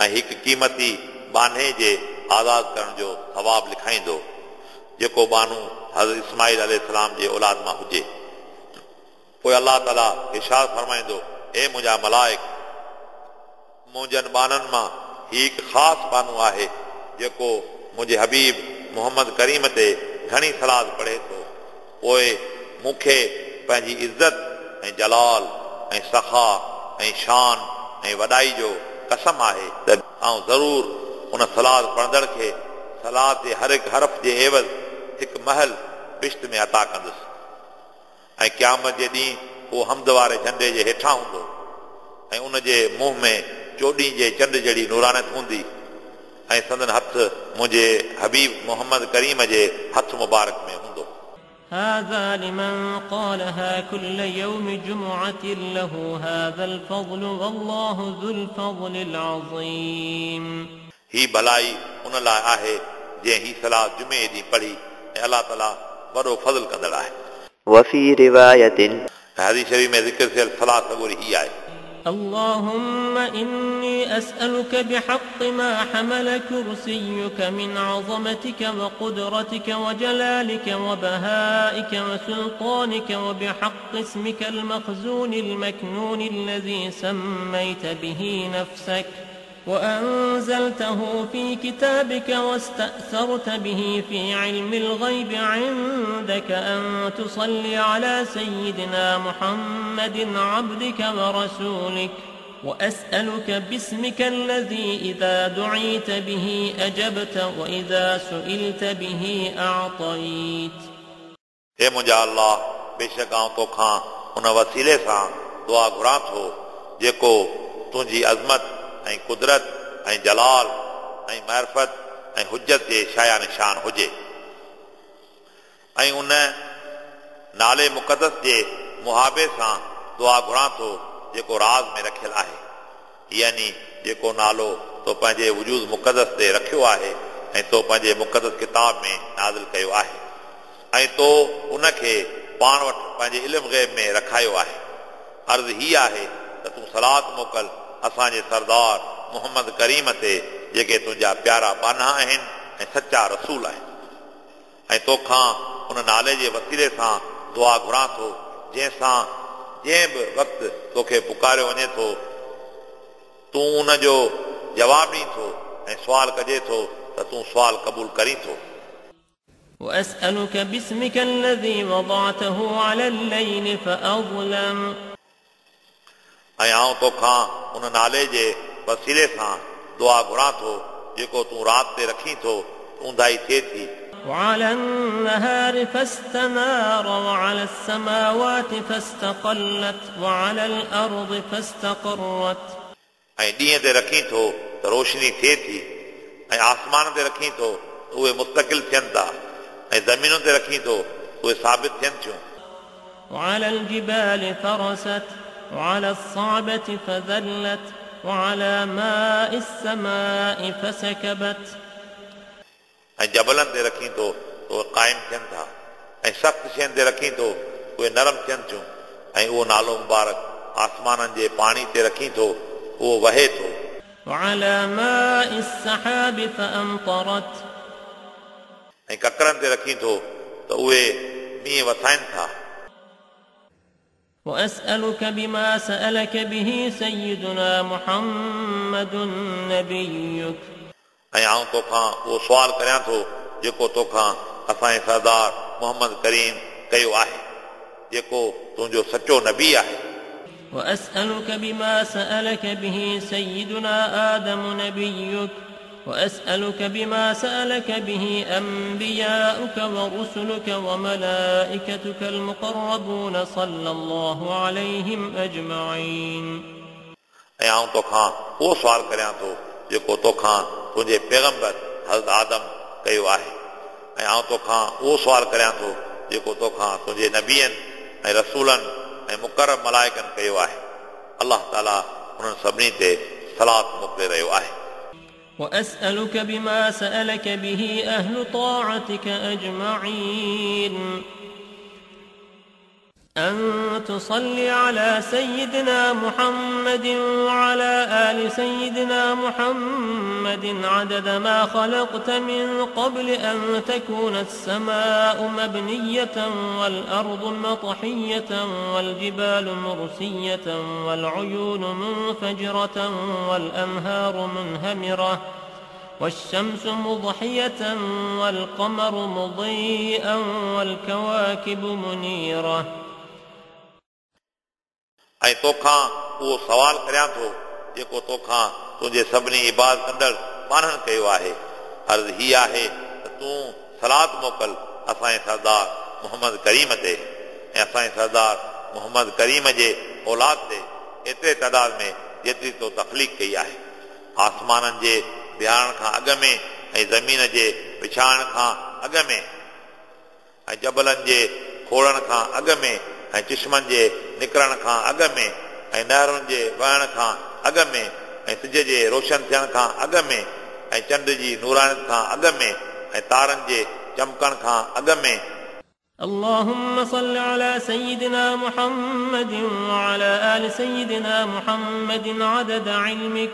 ऐं हिकु क़ीमती बान्हे जे आज़ाद करण जो सवाबु लिखाईंदो, जेको बानू हज़रत इस्माईल अलैहिस्सलाम जे औलाद मां हुजे। पोइ अलाह ताला इरशाद फरमाईंदो, ए मुंहिंजा मलाइक, मुंहिंजनि बाननि मां हीउ हिकु ख़ासि बानू आहे जेको मुंहिंजे हबीब मोहम्मद करीम ते घणी सलाद पढ़े थो, पोइ मूंखे पंहिंजी इज़त ऐं जलाल ऐं सखा ऐं शान ऐं वॾाई जो कसम आहे त आउं ज़रूरु उन सलाद पढ़ंदड़ खे सलाद जे हर हिकु हरफ़ जे एवज़ हिकु महल बिश्त में अता कंदुसि ऐं क़यामत जे ॾींहुं उहो हमद वारे झंडे जे हेठां हूंदो ऐं उन जे मुंहुं में चोॾहीं जे चंड जहिड़ी नूरानत हूंदी ऐं संदन हथु मुंहिंजे हबीब मोहम्मद करीम जे हथु मुबारक में हूंदो। هذا لمن قالها كل يوم جمعة له هذا الفضل والله ذو الفضل العظيم. ही भलाई उन लाइ आहे जंहिं ही सलाह जुमे ॾींहुं पढ़ी ऐं अलाह ताला वॾो फज़ल कंदड़ आहे। وفي رواية हदीस शरीफ़ में ज़िक्र थियल सलाह सॻोरी ही आहे। اللهم إني أسألك بحق ما حمل كرسيك من عظمتك وقدرتك وجلالك وبهائك وسلطانك، وبحق اسمك المخزون المكنون الذي سميت به نفسك وأنزلته في كتابك واستأثرت به في علم الغيب عندك، أن تصلي على سيدنا محمد عبدك ورسولك. وأسألك باسمك الذي إذا دعيت به أجبت وإذا سئلت به أعطيت. हे मुंहिंजा अल्लाह, बेशक आउं तोखां उन वसीले सां दुआ घुरां थो जेको तुंहिंजी अज़मत ऐं कुदरत ऐं जलाल ऐं मार्फत ऐं हुजत जे शाया निशान हुजे ऐं उन नाले मुक़दस जे मुहाबे सां दुआ घुरां थो जेको राज़ में रखियल आहे, यानी जेको नालो तो पंहिंजे वजूद मुक़दस ते रखियो आहे ऐं तो पंहिंजे मुक़दस किताब में नाज़िल कयो आहे ऐं तो उनखे पाण वटि पंहिंजे इल्म ग़ैब में रखायो आहे। अर्ज़ ही आहे त तूं सलात मोकल असांजे सरदार मोहम्मद करीम ते जेके तुंहिंजा प्यारा बाना आहिनि ऐं सच्चा रसूल आहिनि, ऐं तोखां उन नाले जे वसीले सां दुआ घुरां थो जंहिंसां जंहिं बि वक़्तु तोखे पुकारियो वञे थो तूं उन जो जवाबु ॾीं थो ऐं सुवाल कजे थो त तूं सुवाल क़बूल करीं थो। وأسألك باسمك الذي وضعته على الليل فأظلم. ऐं आउं तोखां उन नाले जे वसीले सां दुआ घुरां थो जेको तूं राति ते रखीं थो ऊंधाई थिए थी। وعلى النهار فاستنار وعلى السماوات فاستقلت وعلى الأرض فاستقرت. ऐं ॾींहं ते रखीं थो त रोशनी थिए थी ऐं आसमान ते रखीं थो त उहे मुस्तकिल थियनि था ऐं ज़मीनुनि ते रखीं थो त उहे साबित थियनि थियूं। وعلى الجبال فرست وعلى الصعبة فذلت وعلى ماء السماء فسكبت. ऐं जबलनि ते रखीं थो त उहे क़ाइमु थियनि था ऐं सख़्तु शयुनि ते रखीं थो उहे नरम थियनि थियूं ऐं उहो नालो मुबारक आसमाननि जे पाणी ते रखीं थो उहो वहे थो। وعلى ماء السحاب فأمطرت. ऐं ककरनि ते रखीं थो त उहे मींहुं वसाइनि था। وأسألك بما سألك به سيدنا محمد نبيك. ऐं आउं तोखां उहो सुवाल करियां थो जेको तोखां असांजे सरदार मोहम्मद करीम कयो आहे, जेको तुंहिंजो सचो नबी आहे। وأسألك بما سألك به سيدنا آدم نبيك، وأسألك بما سألك به أنبياؤك ورسلك وملائكتك المقربون صلى الله عليهم أجمعين. ऐं आउं तोखां उहो सुवाल करियां थो जेको तोखां तुंहिंजे पैगंबर हज़रत आदम कयो आहे, ऐं आउं तोखां उहो सुवाल करियां थो जेको तोखां तुंहिंजे नबियनि ऐं रसूलनि ऐं मुकरम मलाइकनि कयो आहे। अलाह ताला उन्हनि सभिनी ते सलात मोकिले रहियो आहे। وأسألك بما سألك به أهل طاعتك أجمعين أن تصلي على سيدنا محمد وعلى آل سيدنا محمد عدد ما خلقت من قبل أن تكون السماء مبنية والأرض مطحية والجبال مرسية والعيون منفجرة والأنهار منهمرة والشمس مضحية والقمر مضيئا والكواكب منيرة. ऐं तोखां उहो सवाल करियां थो जेको तोखां तुंहिंजे सभिनी इबादत कंदड़ ॿारनि कयो आहे। अर्ज़ हीअ आहे त तूं सलात मोकिल असांजे सरदार मोहम्मद करीम ते ऐं असांजे सरदार मोहम्मद करीम जे औलाद ते एतिरे तादाद में जेतिरी तो तख़लीक़ कई आहे। आसमाननि जे बिहारण खां अॻु में ऐं ज़मीन जे विछाइण खां अॻु में ऐं जबलनि जे खोड़ण खां अॻु में ऐं चिश्मनि जे निकिरण खां अॻु में ऐं नहरुनि जे वहण खां अॻु में ऐं सिज जे रोशन थियण खां अॻु में ऐं चंड जी नूरानियत खां अॻु में ऐं तारनि जे चमकण खां अॻु में। اللهم صل على سيدنا محمد وعلى آل سيدنا محمد عدد علمك.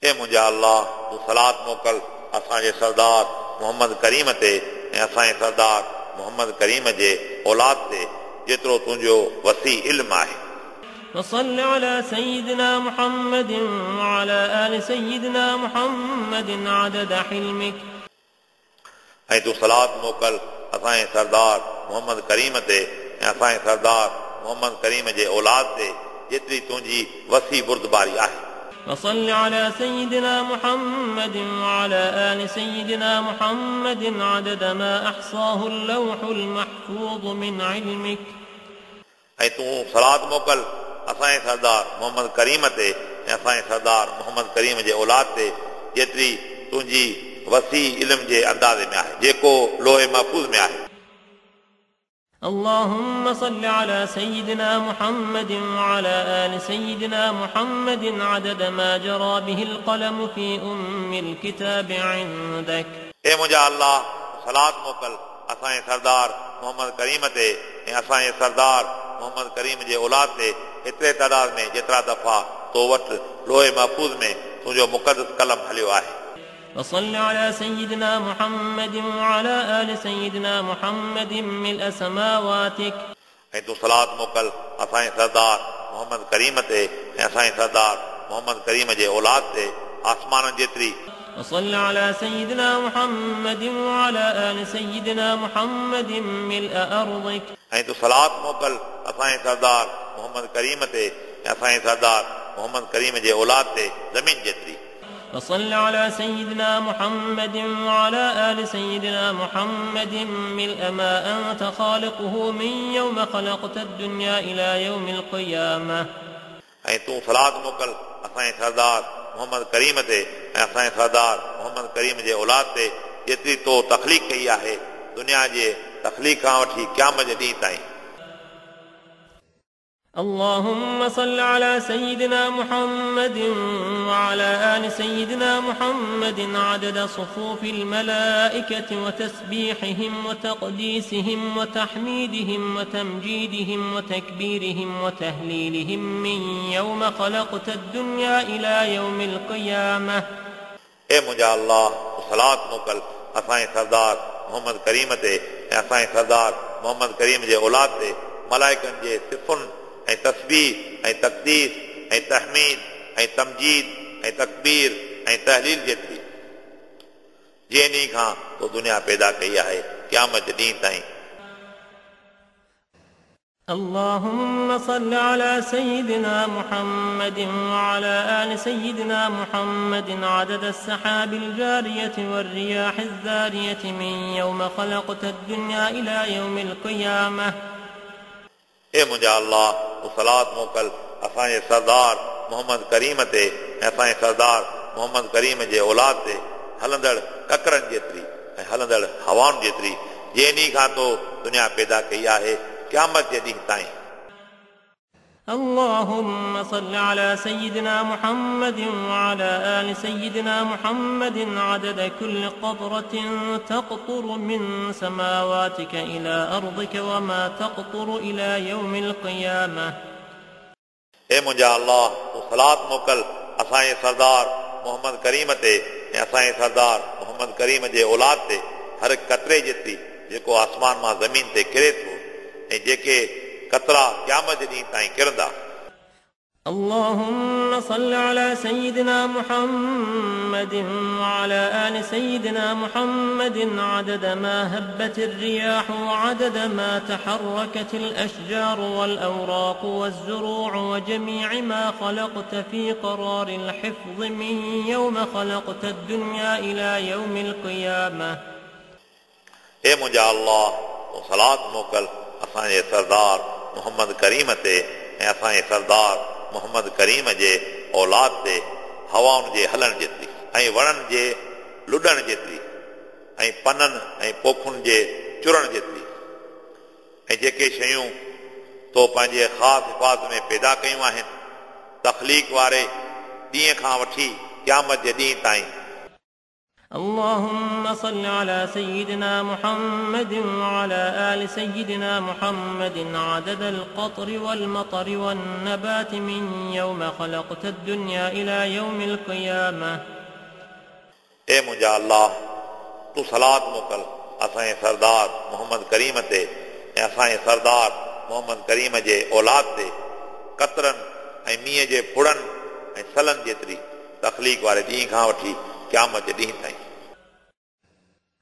ए मुंहिंजा अल्लाह, तूं सलात मोकिल असांजे सरदार मोहम्मद करीम ते ऐं असांजे सरदार मोहम्मद करीम जे औलाद ते जेतिरो तुंहिंजो वसी इल्मु आहे। وصل على سيدنا محمد وعلى آل سيدنا محمد عدد حلمك. ऐं तूं सलात मोकिल असांजे सरदार मोहम्मद करीम ते ऐं असांजे सरदार मोहम्मद करीम जे औलाद ते जेतिरी तुंहिंजी वसी बुर्दबारी आहे। وصل على سيدنا محمد وعلى آل سيدنا محمد عدد ما أحصاه اللوح المحفوظ من علمك. ऐं तूं सलात मोकिल असांजे सरदार मोहम्मद करीम ते ऐं असांजे सरदार मोहम्मद करीम जे औलाद ते जेतिरी तुंहिंजी वसी इल्म जे अंदाज़े में आहे जेको लोहे महफ़ूज़ में आहे। اللهم صل على سيدنا محمد وعلى آل سيدنا محمد عدد ما جرى به القلم في أم الكتاب عندك. ए मुंहिंजा अल्लाह, सलात मोकिल असांजे सरदार मोहम्मद करीम ते ऐं असांजे सरदार मोहम्मद करीम जे औलाद ते एतिरे तादाद में जेतिरा दफ़ा तो वटि लोहे महफ़ूज़ में तुंहिंजो मुक़दस कलम हलियो आहे। وصل على سيدنا محمد وعلى آل سيدنا محمد ملء سماواتك. ऐं तूं सलात मोकिल असांजे सरदार मोहम्मद करीम ते ऐं असांजे सरदार मोहम्मद करीम जे औलाद ते आसमाननि जेतिरी। وصل على سيدنا محمد وعلى آل سيدنا محمد ملء أرضك. ऐं तूं सलात मोकिल असांजे सरदार मोहम्मद करीम ते ऐं असांजे सरदार मोहम्मद करीम जे औलाद ते ज़मीन जेतिरी। وصل على سيدنا محمد وعلى آل سيدنا محمد ملء ما أنت خالقه من يوم خلقت الدنيا إلى يوم القيامة. ऐं तूं सलात मोकिल असांजे सरदार मोहम्मद करीम ते ऐं असांजे सरदार मोहम्मद करीम जे औलाद ते जेतिरी तो तख़लीक़ कई आहे दुनिया जे तख़लीक़ खां वठी क़यामत जे ॾींहुं ताईं। اللهم صل على سيدنا محمد وعلى آل سيدنا محمد عدد صفوف الملائكة وتسبيحهم وتقديسهم وتحميدهم وتمجيدهم وتكبيرهم وتهليلهم من يوم خلقت الدنيا إلى يوم القيامة. ए मुंहिंजा अल्लाह, सलात मोकिल असांजे सरदार मोहम्मद करीम ते ऐं असांजे सरदार मोहम्मद करीम जे औलाद ते मलाइकनि जे सिफ़ुनि ऐं तस्बीह ऐं तक़दीस ऐं तहमीद ऐं तमजीद ऐं तकबीर ऐं तहलील जेतिरी जंहिं ॾींहुं खां तो दुनिया पैदा कई आहे क़यामत ॾींहुं ताईं। اللهم صل على سيدنا محمد وعلى آل سيدنا محمد عدد السحاب الجارية والرياح الذارية من يوم خلقت الدنيا إلى يوم القيامة. ए मुंहिंजा अल्लाह, तूं सलात मोकिल असांजे सरदार मोहम्मद करीम ते ऐं असांजे सरदार मोहम्मद करीम जे औलाद ते हलंदड़ ककरनि जेतिरी ऐं हलंदड़ हवाउनि जेतिरी जंहिं ॾींहं खां तो दुनिया पैदा कई आहे क़यामत जे ॾींहं ताईं। اللهم صل على سيدنا محمد وعلى آل سيدنا محمد عدد كل قطرة تقطر من سماواتك إلى أرضك وما تقطر إلى يوم القيامة. ए मुंहिंजा अल्लाह, तूं सलात मोकिल असांजे सरदार मोहम्मद करीम ते ऐं असांजे सरदार मोहम्मद करीम जे औलाद ते हर कतरे जेतिरी जेको आसमान मां ज़मीन ते किरे थो ऐं जेके कतरा क़यामत जे ॾींहं ताईं किरंदा। اللهم صل على سيدنا محمد وعلى آل سيدنا محمد عدد ما هبت الرياح وعدد ما تحركت الأشجار والأوراق والزروع وجميع ما خلقت في قرار الحفظ من يوم خلقت الدنيا إلى يوم القيامة. ए मुंहिंजा अल्लाह, तूं सलात मोकिल असांजे सरदार मोहम्मद करीम ते ऐं असांजे सरदार मोहम्मद करीम जे औलाद ते हवाउनि जे हलण जेतिरी ऐं वणनि जे लुॾण जेतिरी ऐं पननि ऐं पोखुनि जे चुरण जेतिरी ऐं जेके शयूं तो पंहिंजे ख़ासि हिफ़ाज़त में पैदा कयूं आहिनि तख़लीक़ वारे ॾींहं खां वठी क़यामत जे ॾींहं ताईं। اللهم صل على سيدنا محمد وعلى آل سيدنا محمد عدد القطر والمطر والنبات من يوم خلقت الدنيا إلى يوم القيامة. ए मुंहिंजा अल्लाह, तूं सलात मोकिल असांजे सरदार मोहम्मद करीम ते ऐं असांजे सरदार मोहम्मद करीम जे औलाद ते कतरनि ऐं मींहं जे फुड़नि ऐं सलनि जेतिरी तख़लीक़ वारे ॾींहं खां वठी क़यामत जे ॾींहं ताईं।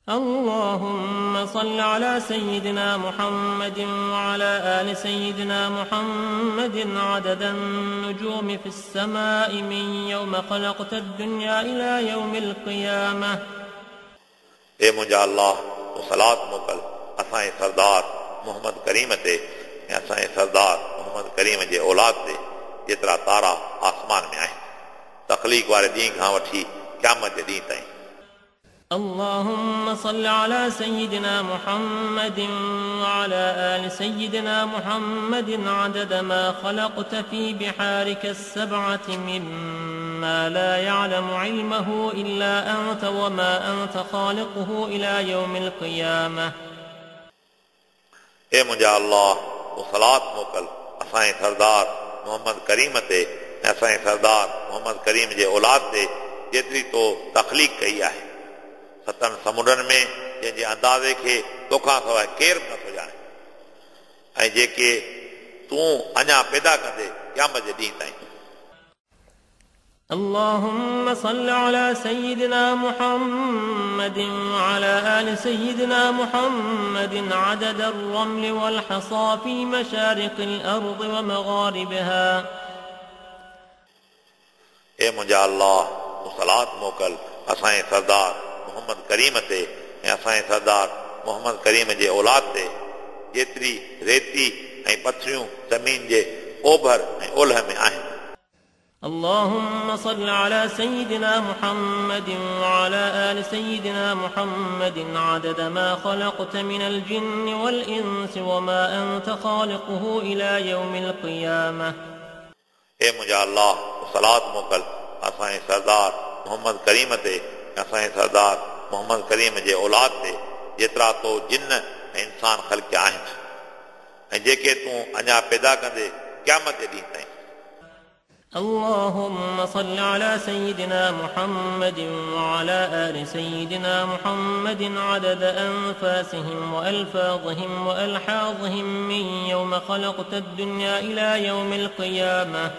اللهم صل على سيدنا محمد وعلى آل سيدنا محمد عدد النجوم في السماء من يوم خلقت الدنيا إلى يوم القيامة. ए मुंहिंजा अल्लाह, तूं सलात मोकिल असांजे सरदार मोहम्मद करीम ते ऐं असांजे सरदार मोहम्मद करीम जे औलाद ते जेतिरा तारा आसमान में आहिनि तख़लीक़ वारे ॾींहं खां वठी क़यामत जे ॾींहं ताईं। اللهم صل على سيدنا محمد وعلى آل سيدنا محمد عدد ما خلقت في بحارك السبعة مما لا يعلم علمه إلا أنت وما أنت خالقه إلى يوم القيامة. ए मुंहिंजा अल्लाह, तूं सलात मोकिल असांजे सरदार मोहम्मद करीम ते ऐं असांजे सरदार मोहम्मद करीम जे औलाद ते जेतिरी तो तख़लीक़ कई आहे सतनि समुंडनि में जंहिंजे अंदाज़े खे तोखां सवाइ केरु बि नथो ॼाणे ऐं जेके तूं अञा पैदा कंदे क़यामत जे ॾींहं ताईं। اللهم صل على سيدنا محمد وعلى آل سيدنا محمد عدد الرمل والحصى في مشارق الأرض ومغاربها. ए मुंहिंजा अल्लाह, तूं सलात मोकिल असांजे सरदार मोहम्मद करीम ते ऐं असांजे सरदार मोहम्मद करीम जे औलाद ते जेतिरी रेती ऐं पथरियूं ज़मीन जे ओभर ऐं ओलह में आहिनि। اللهم صل على سيدنا محمد وعلى آل سيدنا محمد عدد ما خلقت من الجن والإنس وما أنت خالقه إلى يوم القيامة. ए मुंहिंजा अल्लाह, सलात मोकिल असांजे सरदार मोहम्मद करीम ते असांजे सरदार मोहम्मद करीम जे औलाद ते जेतिरा तो जिन ऐं इंसान ख़लकिया आहिनि ऐं जेके तूं अञा पैदा कंदे क़यामत जे ॾींहं ताईं। اللهم صل على سيدنا محمد وعلى آل سيدنا محمد عدد أنفاسهم وألفاظهم وألحاظهم من يوم خلقت الدنيا إلى يوم القيامة.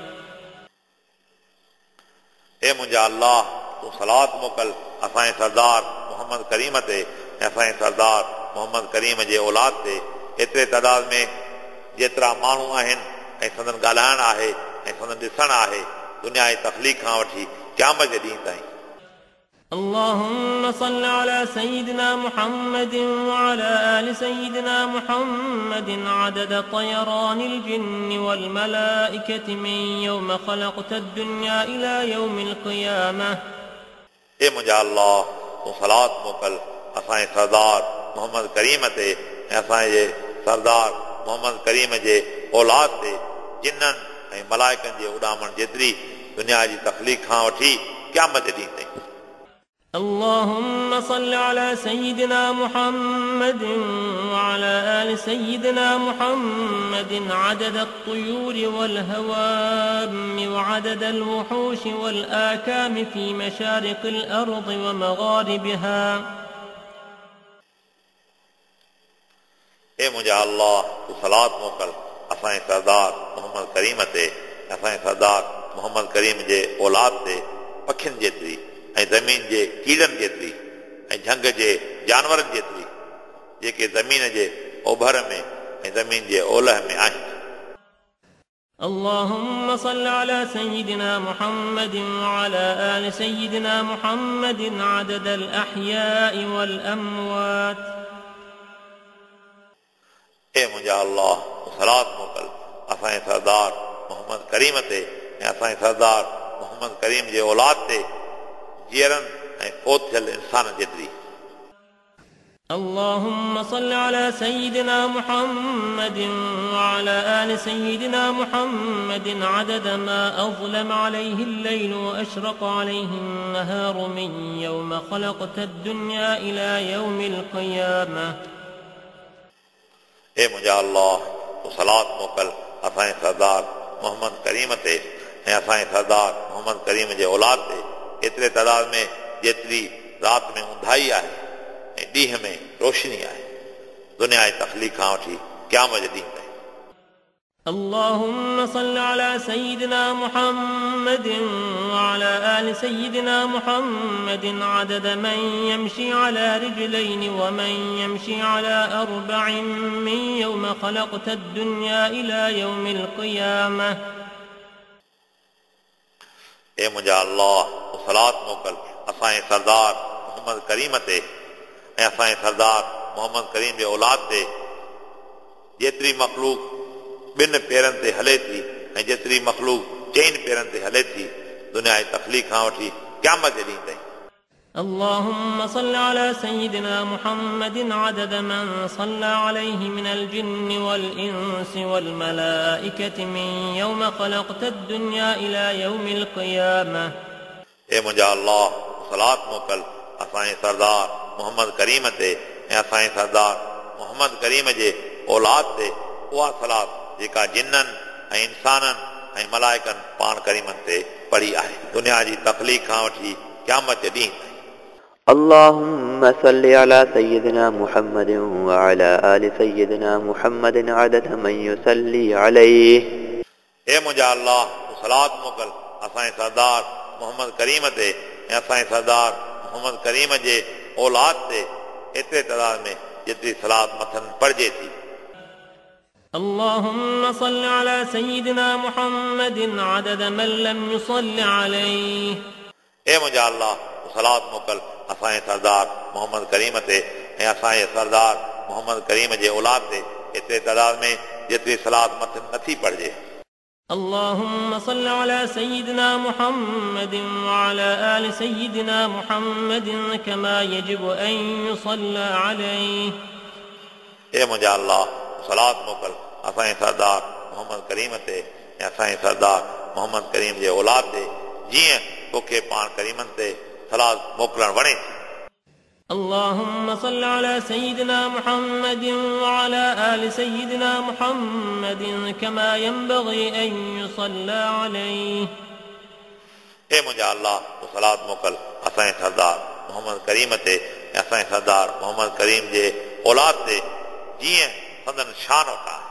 ए मुंहिंजा अल्लाह, तूं सलात मोकिल असांजे सरदार मोहम्मद करीम ते ऐं असांजे सरदार मोहम्मद करीम जे औलाद ते एतिरे तादाद में जेतिरा माण्हू आहिनि ऐं संदन ॻाल्हाइण आहे ऐं संदन ॾिसण आहे दुनिया जी तख़लीक़ खां वठी क़यामत जे ॾींहुं ताईं। اللهم صل على سيدنا محمد وعلى آل سيدنا محمد عدد طيران الجن والملائكة من يوم خلقت الدنيا إلى يوم القيامة. ए मुंहिंजा अल्लाह, तूं सलात मोकिल असांजे सरदार मोहम्मद करीम ते ऐं असांजे सरदार मोहम्मद करीम जे औलाद ते जिन्ननि ऐं मलाइकनि जे उॾामण जेतिरी दुनिया जी तख़लीक़ खां वठी क़यामत जे ॾींहुं ताईं। اللهم صل على سيدنا محمد وعلى آل سيدنا محمد عدد الطيور والهوام وعدد الوحوش والآكام في مشارق الأرض ومغاربها. ए मुंहिंजा अल्लाह, तूं सलात मोकिल असांजे सरदार मोहम्मद करीम ते असांजे सरदार मोहम्मद करीम जे औलाद ते पखियुनि जेतिरी ऐं ज़मीन जे कीड़नि जेतिरी ऐं झंग जे जानवरनि जेतिरी जेके ज़मीन जे ओभर में ऐं ज़मीन जे ओलह में आहिनि। اللهم صل على سيدنا محمد وعلى آل سيدنا محمد عدد الأحياء والأموات. ए मुंहिंजा अल्लाह, तूं सलात मोकिल असांजे सरदार मोहम्मद करीम ते ऐं असांजे सरदार मोहम्मद करीम जे औलाद ते जीअरनि ऐं फौत थियल इंसाननि जेतिरी। اللهم صل على سيدنا محمد وعلى آل سيدنا محمد عدد ما أظلم عليه الليل وأشرق عليه النهار من يوم خلقت الدنيا إلى يوم القيامة. ए मुंहिंजा अल्लाह, तूं सलात मोकिल असांजे सरदार मोहम्मद करीम ते ऐं असांजे सरदार मोहम्मद करीम जे औलाद ते एतिरे तादाद में जेतिरी राति में ऊंधाई आहे ऐं ॾींहं में रोशनी आहे दुनिया जी तख़लीक़ खां वठी क़यामत जे ॾींहुं ताईं। اللهم صل على سيدنا محمد وعلى آل سيدنا محمد عدد من يمشي على رجلين ومن يمشي على أربع من يوم خلقت الدنيا إلى يوم القيامة. ए मुंहिंजा अल्लाह, तूं सलात मोकिल असांजे सरदार मोहम्मद करीम ते ऐं असांजे सरदार मोहम्मद करीम जे औलाद ते जेतिरी मख़लूक ॿिनि पेरनि ते हले थी ऐं जेतिरी मख़लूक चइनि पेरनि ते हले थी दुनिया जी तख़लीक़ खां वठी क़यामत जे ॾींहुं ताईं। اللهم صل على سيدنا محمد عدد من صلى عليه من الجن والإنس والملائكة من يوم خلقت الدنيا إلى يوم القيامة. ए मुंहिंजा अल्लाह, सलात मोकिल असांजे सरदार मोहम्मद करीम ते ऐं असांजे सरदार मोहम्मद करीम जे औलाद ते उहा सलात जेका जिन्ननि ऐं इंसाननि ऐं मलाइकनि पाण करीमनि ते पढ़ी आहे दुनिया जी तख़लीक़ खां वठी क़यामत जे ॾींहुं ताईं। اللهم صل على سيدنا محمد وعلى آل سيدنا محمد عدد من يصلي عليه. ए मुंहिंजा अल्लाह, तूं सलात मोकिल असांजे सरदार मोहम्मद करीम ते ऐं असांजे सरदार मोहम्मद करीम जे औलाद ते एतिरे तादाद में जेतिरी सलात मथनि पढ़िजे थी। اللهم صل على سيدنا محمد عدد من لم يصل عليه. ए मुंहिंजा अल्लाह, तूं सलात मोकिल असांजे सरदार मोहम्मद करीम ते ऐं असांजे सरदार मोहम्मद करीम जे औलाद ते एतिरे तादाद में जेतिरी सलात मथनि नथी पढ़िजे। اللهم صل على سيدنا محمد وعلى آل سيدنا محمد كما يجب أن يصلى عليه. ए मुंहिंजा अल्लाह, सलात मोकिल असांजे सरदार मोहम्मद करीम ते ऐं असांजे सरदार मोहम्मद करीम जे औलाद ते जीअं तोखे पाण करीमनि ते सलात मोकिलणु वणे थी। اللهم صل على سيدنا محمد وعلى آل سيدنا محمد كما ينبغي أن يصلى عليه. ए मुंहिंजा अल्लाह, तूं सलात मोकिल असांजे सरदार मोहम्मद करीम ते ऐं असांजे सरदार मोहम्मद करीम जे औलाद ते जीअं संदन शान वटां आहे।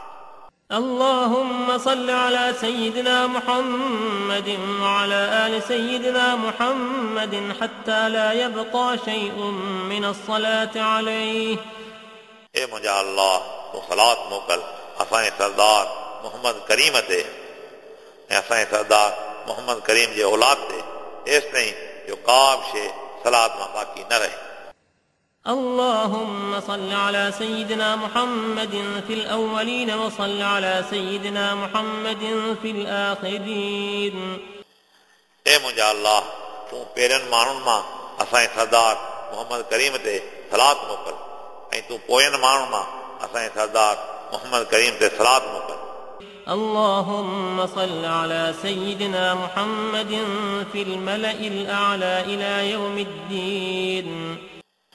اللهم صل على سيدنا محمد وعلى آل سيدنا محمد حتى لا يبقى شيء من الصلاة عليه. ए मुंहिंजा अल्लाह, तूं सलात मोकिल असांजे सरदार मोहम्मद करीम ते ऐं असांजे सरदार मोहम्मद करीम जे औलाद ते, एसि ताईं जो का बि शइ सलात मां बाक़ी न रहे। اللهم صل على سيدنا محمد في الأولين وصل على سيدنا محمد في الآخرين. ए मुंहिंजा अल्लाह, तूं पहिरियनि माण्हुनि मां असांजे सरदार मोहम्मद करीम ते सलात मोकिल ऐं तूं पोयनि माण्हुनि मां असांजे सरदार मोहम्मद करीम ते सलात मोकिल। اللهم صل على سيدنا محمد في الملأ الأعلى إلى يوم الدين.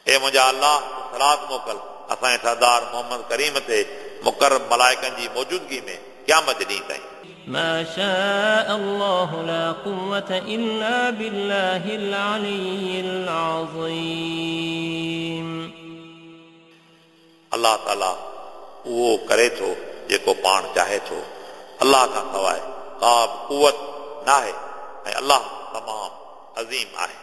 ए मुंहिंजा अल्लाह, सलात मोकिल असांजे सरदार मोहम्मद करीम ते मुकर्रब मलाइकनि जी मौजूदगी में क़यामत ॾींहुं ताईं। ما شاء الله لا قوة إلا بالله العلي العظيم. अल्लाह ताला उहो करे थो जेको पाण चाहे थो। अल्लाह खां सवाइ का बि कुवत न आहे ऐं अल्लाह तमामु अज़ीम आहे।